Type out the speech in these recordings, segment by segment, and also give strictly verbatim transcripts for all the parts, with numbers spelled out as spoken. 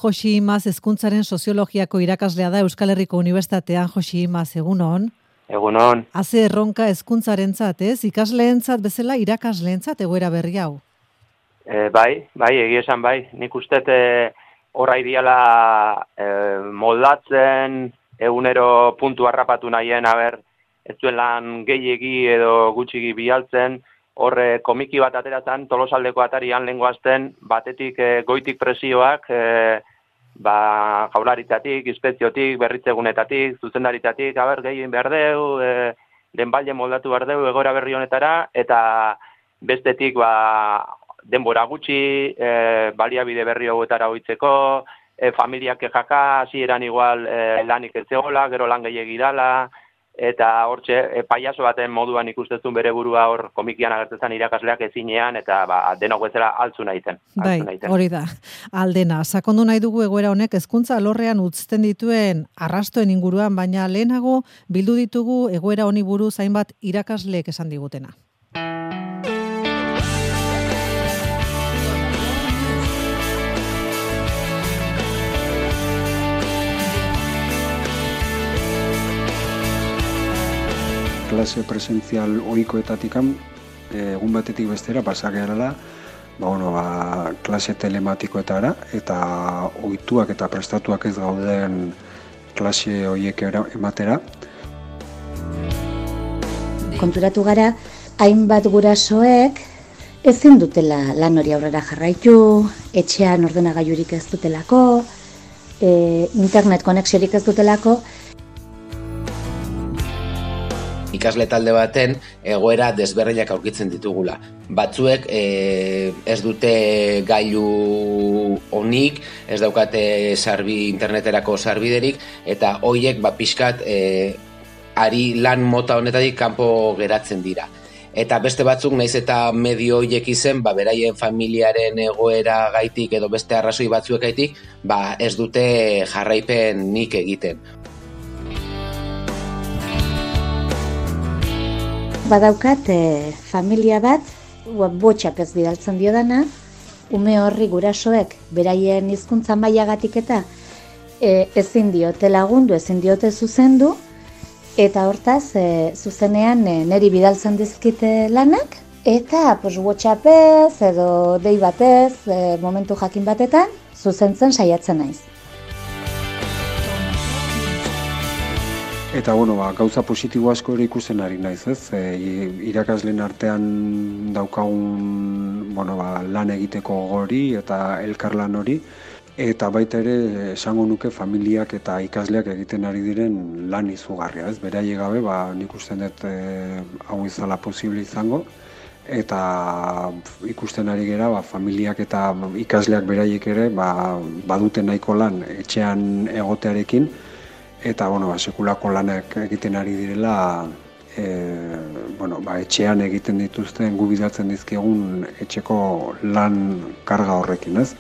Josi Imaz, hezkuntzaren soziologiako irakaslea da Euskal Herriko Unibertsitatean. Josi Imaz, egunon. Egunon. Haze erronka hezkuntzarentzat, ez? Ikasleentzat bezala irakasleentzat egoera berri hau. E, bai, bai, egia esan bai. Nik uste e, horra ideala e, moldatzen, egunero puntu harrapatu nahien, haber, ez duen lan gehiegi edo gutxigi bialtzen, horre komiki bat ateratzen, Tolosaldeko atarian lehengoazten, batetik e, goitik presioak, e, ba, jaularitzatik, inspekziotik, berritzegunetatik, zuzendaritatik, haber, gehien behar deu, e, denbalde moldatu behar deu, egoera berri honetara, eta bestetik, ba, denbora gutxi, e, baliabide berri hauetara hoitzeko, e, familiak jaka, hasieran igual e, lanik ez zegoela, gero lan gehiegi dala, eta hortxe, e, paiaso baten moduan ikustezun bere burua hor komikian agertzen irakasleak ezinean, eta ba, denok bezala altzu nahiten. Bai, hori da, aldena. Sakondu nahi dugu egoera honek hezkuntza alorrean utzten dituen arrastoen inguruan, baina lehenago bildu ditugu egoera honi buruz hainbat irakasleek esan digutena. Klase presentzial ohikoetatikan egun batetik bestera pasagerala, ba bueno, ba klase telematikoetara eta ohituak eta prestatuak ez gauden klase horiek ematera. Konturatu gara hainbat gurasoek ezin dutela lan hori aurrera jarraitu, etxean ordenagailurik ez dutelako, e, internet konexiorik ez dutelako. Ikasle talde baten egoera desberdinak aurkitzen ditugula. Batzuek e, ez dute gailu onik, ez daukate sarbi interneterako sarbiderik, eta hoiek ba pixkat e, ari lan mota honetatik kanpo geratzen dira. Eta beste batzuk naiz eta medio hoiek izen, ba beraien familiaren egoera gaitik edo beste arrazoi batzuek gaitik, ba ez dute jarraipen nik egiten. Badaukat e, familia bat, botxak ez bidaltzen diodana, ume horri gurasoek beraien hizkuntza mailagatik eta e, ezin diote lagundu, ezin diote zuzendu, eta hortaz e, zuzenean e, neri bidaltzen dizkite lanak, eta pues, WhatsAppez edo dei batez, e, momentu jakin batetan, zuzentzen saiatzen naiz. Eta bueno, ba, gauza positibo asko ere ikusten ari naiz, ez? E, irakasleen artean daukagun, bueno, ba, lan egiteko gori eta elkarlan hori, eta baita ere esango nuke familiak eta ikasleak egiten ari diren lan izugarria, ez? Beraiek gabe, ba, nik usten dut e, hau izala posible izango, eta ikusten ari gera, ba, familiak eta ikasleak beraiek ere, ba, badute nahiko lan etxean egotearekin, eta bueno, ba, sekulako lanak egiten ari direla, e, bueno, ba, etxean egiten dituzten gu bidaltzen dizkiegun etxeko lan karga horrekin, ez?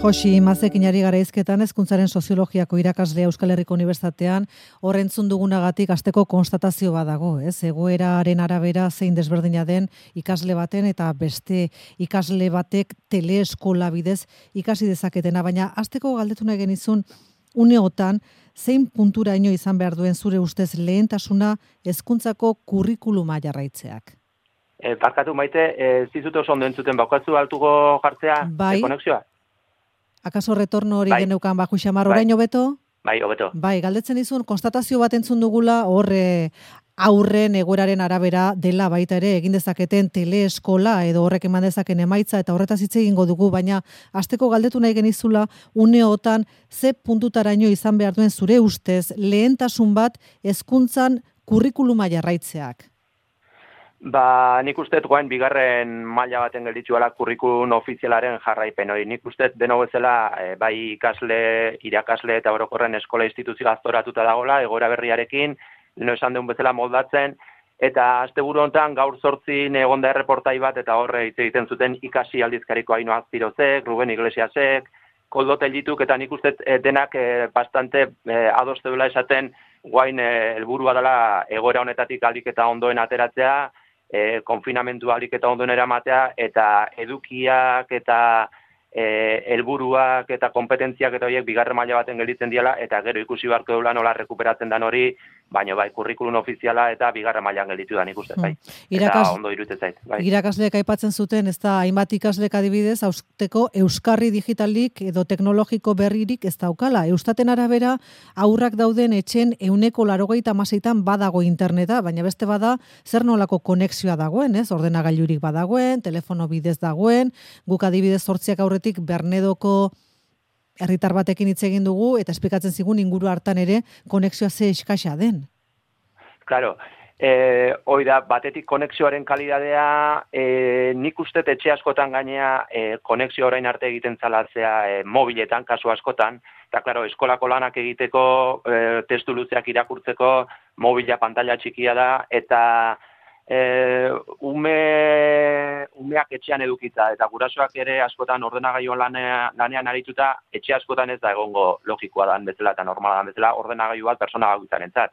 Josi Imazekin ari gara hizketan hezkuntzaren soziologiako irakaslea Euskal Herriko Unibertsitatean, hor entzun dugunagatik asteko konstatazio badago, ez? Egoeraren arabera zein desberdina den ikasle baten eta beste ikasle batek teleeskola bidez ikasi dezaketena, baina asteko galdetu nahi genizun uneotan zein punturaino izan behar duen zure ustez lehentasuna hezkuntzako kurrikuluma jarraitzeak. E, barkatu maite, ez dizut oso ondo entzuten, baukatzu altuko jartzea bai. e, konexioa? Akaso retorno hori bai. geneukan Baju Xamar oraino beto? Bai, hobeto. Bai, galdetzen dizun, konstatazio bat entzun dugula, horre aurren egoeraren arabera dela baita ere egin dezaketen teleeskola edo horrek eman dezaken emaitza eta horretaz hitz egingo dugu, baina asteko galdetu nahi genizula uneotan ze puntutaraino izan behar duen zure ustez lehentasun bat hezkuntzan kurrikuluma jarraitzeak. Ba, nik usteet guain bigarren maila baten gelditzuela kurrikulum ofizialaren jarraipen hori. Nik usteet deno bezala e, bai ikasle, irakasle eta orokorren eskola instituzio aztoratuta dagoela, egoera berriarekin, leno esan duen bezala moldatzen, eta asteburu honetan gaur zortzin egonda erreportai bat, eta horre hitz egiten zuten ikasi aldizkariko Aino Azpirozek, Ruben Iglesiasek, Koldo Tellituk, eta nik usteet e, denak e, bastante e, adoste duela esaten guain helburua dela egoera honetatik ahalik eta ondoen ateratzea, e, konfinamentu alik eta ondo eramatea, eta edukiak eta e, helburuak eta kompetentziak eta horiek bigarren maila baten gelditzen diala, eta gero ikusi beharko dula nola rekuperatzen dan hori, baina bai, kurrikulum ofiziala eta bigarren mailan gelditu da nik uste, bai. Hmm. Irakas, eta ondo iruditzen zait. Bai. Irakasleek aipatzen zuten, ez da, hainbat ikaslek adibidez, hausteko euskarri digitalik edo teknologiko berririk ez daukala. Eustaten arabera, aurrak dauden etxen euneko larogeita hamaseitan badago interneta, baina beste bada, zer nolako konexioa dagoen, ez? Ordenagailurik badagoen, telefono bidez dagoen, guk adibidez zortziak aurretik Bernedoko herritar batekin hitz egin dugu, eta esplikatzen zigun inguru hartan ere konexioa ze eskasa den. Claro, eh, hoi da, batetik konexioaren kalidadea, eh, nik uste etxe askotan gainea eh, konexio orain arte egiten zalatzea eh, mobiletan, kasu askotan, eta claro, eskolako lanak egiteko, eh, testu luzeak irakurtzeko, mobila pantalla txikia da, eta E, ume, umeak etxean edukitza, eta gurasoak ere askotan ordenagailuan lanean, lanean arituta, etxe askotan ez da egongo logikoa dan bezala eta normala dan bezala ordenagailu bat persona gaitzarentzat.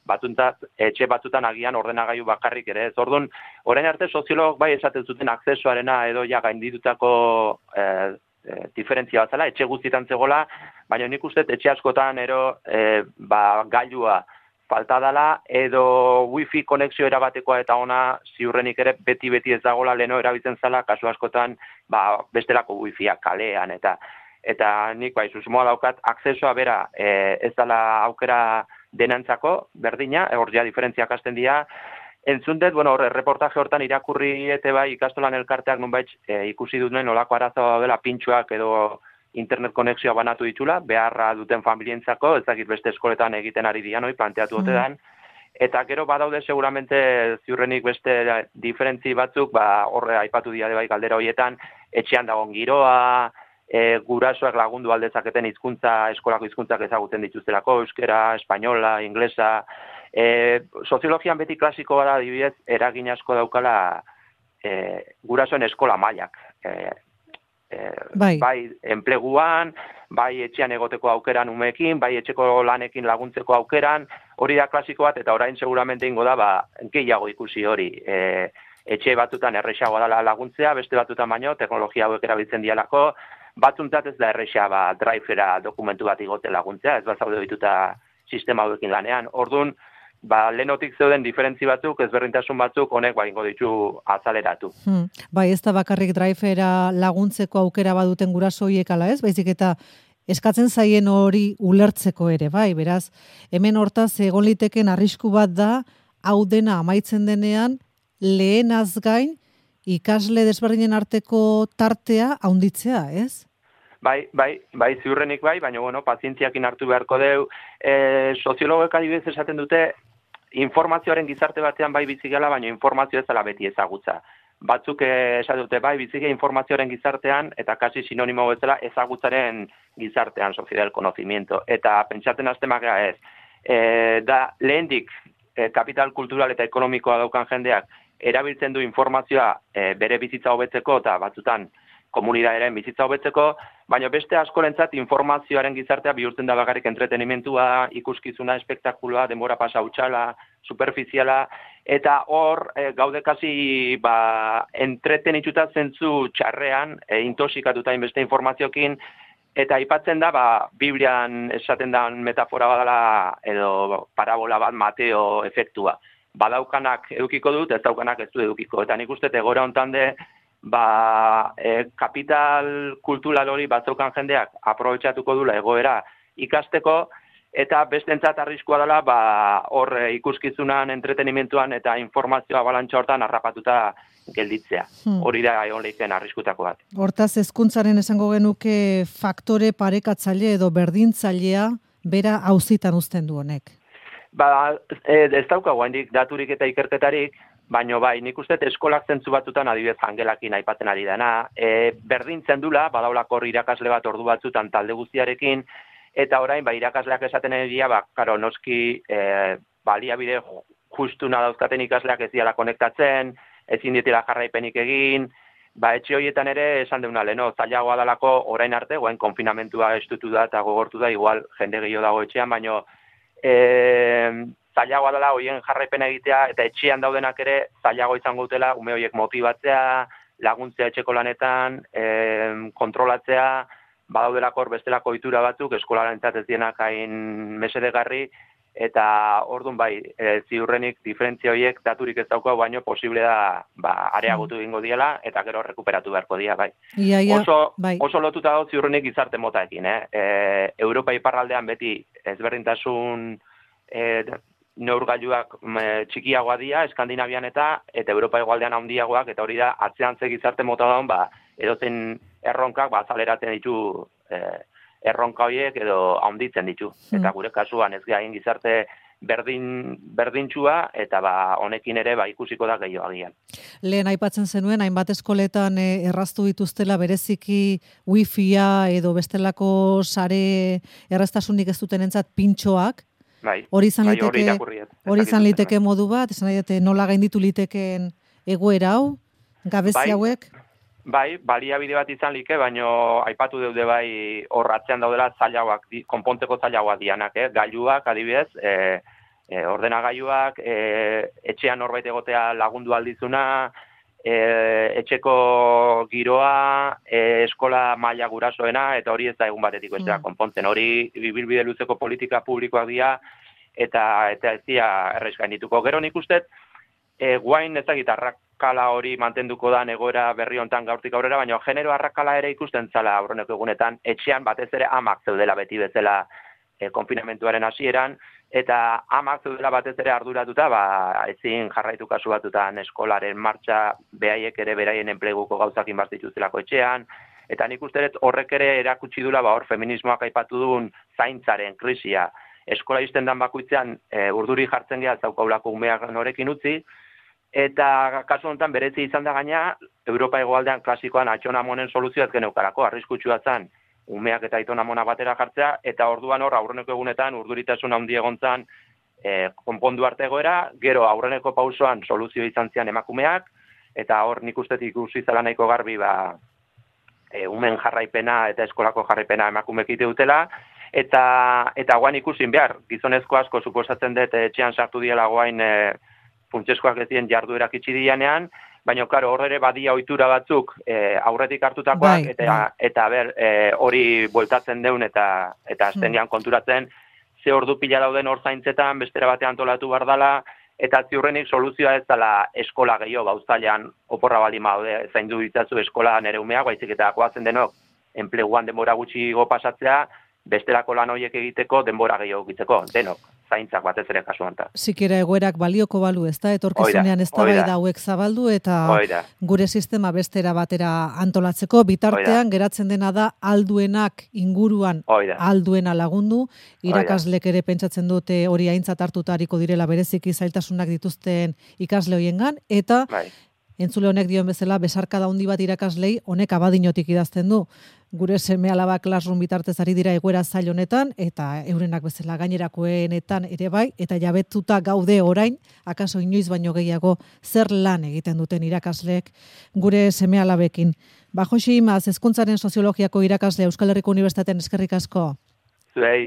Batuntzat, etxe batzutan agian ordenagailu bakarrik ere ez. Orduan, orain arte soziologok bai esaten zuten akzesoarena edo ja gainditutako e, e, diferentzia batzala, etxe guztietan zegoela, baina nik uste etxe askotan ero e, ba, gailua falta dela, edo wifi konexio erabatekoa eta ona ziurrenik ere beti-beti ez dagoela leno erabiltzen zala, kasu askotan ba, bestelako wifia kalean, eta eta nik bai, susmoa daukat, akzesoa bera e, ez dela aukera denantzako, berdina, hor ja diferentziak hasten dira, entzun dut, bueno, hor, reportaje hortan irakurri ete bai ikastolan elkarteak nunbait e, ikusi dut nuen olako arazoa dela pintxoak edo internet konexioa banatu ditula, beharra duten familientzako, ez dakit beste eskoletan egiten ari dian, hoi, planteatu dute dan, eta gero badaude seguramente ziurrenik beste diferentzi batzuk, ba, horre aipatu dira bai galdera horietan, etxean dagoen giroa, e, gurasoak lagundu aldezaketen hizkuntza, eskolako hizkuntzak ezagutzen dituztelako, euskera, espainola, inglesa, e, soziologian beti klasiko bada adibidez, eragin asko daukala e, gurasoen eskola mailak, e, Eh, bai. bai enpleguan, bai etxean egoteko aukeran umeekin, bai etxeko lanekin laguntzeko aukeran, hori da klasiko bat, eta orain seguramente ingo da, ba, gehiago ikusi hori. E, etxe batzutan errexago dela laguntzea, beste batzutan baino, teknologia hauek erabiltzen dialako, batzuntzat ez da errexa, ba, drivera dokumentu bat igote laguntzea, ez bat zaude dituta sistema hauekin lanean. Orduan, ba, lehenotik zeuden diferentzi batzuk, ezberdintasun batzuk, honek ba, ingo ditu azaleratu. Hmm. Bai, ez da bakarrik drivera laguntzeko aukera baduten guraso horiek ala ez, baizik eta eskatzen zaien hori ulertzeko ere, bai, beraz, hemen hortaz egon liteken arrisku bat da, hau dena amaitzen denean, lehenaz gain, ikasle desberdinen arteko tartea haunditzea, ez? Bai, bai, bai, ziurrenik bai, baina, bueno, pazientziakin hartu beharko deu. E, soziologek adibidez esaten dute, informazioaren gizarte batean bai bizigela, baina informazio ez dela beti ezagutza. Batzuk esaten dute, bai, bizigela informazioaren gizartean, eta kasi sinonimo bezala ezagutzaren gizartean, sociedad del conocimiento. Eta pentsatzen hasten magea ez. E, da, lehendik, e, kapital kultural eta ekonomikoa daukan jendeak, erabiltzen du informazioa e, bere bizitza hobetzeko, eta batzutan, komunitatearen bizitza hobetzeko, baina beste askorentzat informazioaren gizartea bihurtzen da bakarrik entretenimentua, ikuskizuna, espektakuloa, denbora pasa hutsala, superfiziala, eta hor e, gaude kasi ba, entretenituta zentzu txarrean, e, intoxikatuta inbeste informaziokin, eta aipatzen da, ba, Biblian esaten da metafora badala, edo parabola bat Mateo efektua. Badaukanak edukiko dut, ez daukanak ez du edukiko. Eta nik uste egora hontan de, ba, e, kapital kultural hori batzaukan jendeak aprobetxatuko dula egoera ikasteko, eta bestentzat arriskua dela, ba, hor ikuskizunan, entretenimentuan eta informazioa balantxa hortan harrapatuta gelditzea. Hmm. Hori da egon lehiken arriskutako bat. Hortaz, hezkuntzaren esango genuke faktore parekatzaile edo berdintzailea bera auzitan uzten du honek. Ba, ez daukagu handik daturik eta ikerketarik, baina bai, nik uste eskolak zentzu batzutan adibidez jangelakin aipatzen ari dena, e, berdintzen dula, badaulako irakasle bat ordu batzutan talde guztiarekin, eta orain, ba, irakasleak esaten egia, ba, karo, noski, e, baliabide justuna dauzkaten ikasleak ez diala konektatzen, ezin ditela jarraipenik egin, ba, etxe horietan ere esan deuna leno, zailagoa dalako orain arte, goen konfinamentua estutu da eta gogortu da, igual jende gehiago dago etxean, baina e, zailagoa dela hoien jarraipena egitea, eta etxean daudenak ere zailago izango dutela ume horiek motibatzea, laguntzea etxeko lanetan, e, kontrolatzea, badaudelako hor bestelako ohitura batzuk, eskolarentzat ez dienak hain mesedegarri, eta orduan bai, e, ziurrenik diferentzia horiek daturik ez daukau, baino posible da ba, areagotu egingo diela, eta gero rekuperatu beharko dira, bai. Ia, ia, oso, bai. oso lotuta dago ziurrenik gizarte motaekin, eh? E, Europa iparraldean beti ezberdintasun e, neurgailuak txikiagoa dira, Eskandinavian eta, eta Europa hegoaldean handiagoak, eta hori da, atzean ze gizarte mota daun, ba, edozen erronkak, ba, azaleratzen ditu e, erronka horiek edo handitzen ditu. Hmm. Eta gure kasuan ez gain gizarte berdin, berdintxua, eta ba, honekin ere ba, ikusiko da gehiago agian. Lehen aipatzen zenuen, hainbat eskoletan eh, erraztu dituztela bereziki wifia edo bestelako sare erraztasunik ez duten entzat pintxoak. Bai, hori izan bai, liteke, hori izan liteke modu bat, esan nahi dute nola gainditu litekeen egoera hau, gabezi bai, hauek? Bai, baliabide bat izan like, baino aipatu deude bai hor atzean daudela zailagoak, konpontzeko zailagoak dianak, eh? Gailuak adibidez, e, e, ordenagailuak, e, etxean norbait egotea lagundu aldizuna, e, etxeko giroa, e, eskola maila gurasoena, eta hori ez da egun batetik bestera mm. konpontzen. Hori bibilbide luzeko politika publikoak dira, eta eta ez dira errez gaindituko. Gero nik ustet, e, guain ezagit arrakala hori mantenduko da egoera berri hontan gaurtik aurrera, baina genero arrakala ere ikusten zala aurreneko egunetan, etxean batez ere amak zeudela beti bezala e, konfinamentuaren hasieran, eta amak zeudela batez ere arduratuta, ba, ezin jarraitu kasu batutan eskolaren martxa, behaiek ere beraien enpleguko gauzakin bazituztelako etxean, eta nik uste dut horrek ere erakutsi dula, ba, hor feminismoak aipatu duen zaintzaren krisia. Eskola izten dan bakoitzean e, urduri jartzen geha zaukaulako umeak norekin utzi, eta kasu honetan berezi izan da gaina, Europa hegoaldean klasikoan atxonamonen soluzioaz geneukarako, arriskutsua zen, umeak eta aitonamona batera jartzea, eta orduan hor aurreneko egunetan urduritasun handi egontzan e, konpondu arte egoera, gero aurreneko pausoan soluzio izan zian emakumeak, eta hor nik uste ikusi zela nahiko garbi, ba, e, umen jarraipena eta eskolako jarraipena emakumeek ite dutela, eta eta guain ikusin behar, gizonezko asko suposatzen dut etxean sartu diela guain e, funtsezkoak ez dien jarduerak itxi dianean, baina karo hor ere badia ohitura batzuk e, aurretik hartutakoak, bai, eta, bai. eta ber, e, hori bueltatzen deun eta eta aztenean konturatzen, ze ordu pila dauden hor zaintzetan, bestera batean antolatu behar dela, eta ziurrenik soluzioa ez dela eskola gehiago, bauztailean oporra balima daude, zaindu ditzazu eskola nere umeak, baizik eta goazen denok, enpleguan denbora gutxi go pasatzea, bestelako lan horiek egiteko denbora gehiago egiteko, denok, zaintzak batez ere kasu honetan. Sikera egoerak balioko balu, ez da, etorkizunean ez da bai da hauek zabaldu, eta Oida. Gure sistema bestera batera antolatzeko, bitartean Oida. Geratzen dena da alduenak inguruan Oida. Alduena lagundu, irakaslek ere pentsatzen dute hori aintzat hartutariko direla bereziki zailtasunak dituzten ikasle hoiengan, eta bai. Entzule honek dioen bezala, besarkada handi bat irakaslei, honek abadinotik idazten du. Gure seme alaba Classroom bitartez ari dira egoera zail honetan, eta eurenak bezala gainerakoenetan ere bai, eta jabetuta gaude orain, akaso inoiz baino gehiago, zer lan egiten duten irakasleek gure seme alabekin. Ba, Josi Imaz, hezkuntzaren soziologiako irakasle Euskal Herriko Unibertsitatean eskerrik asko. Zuei.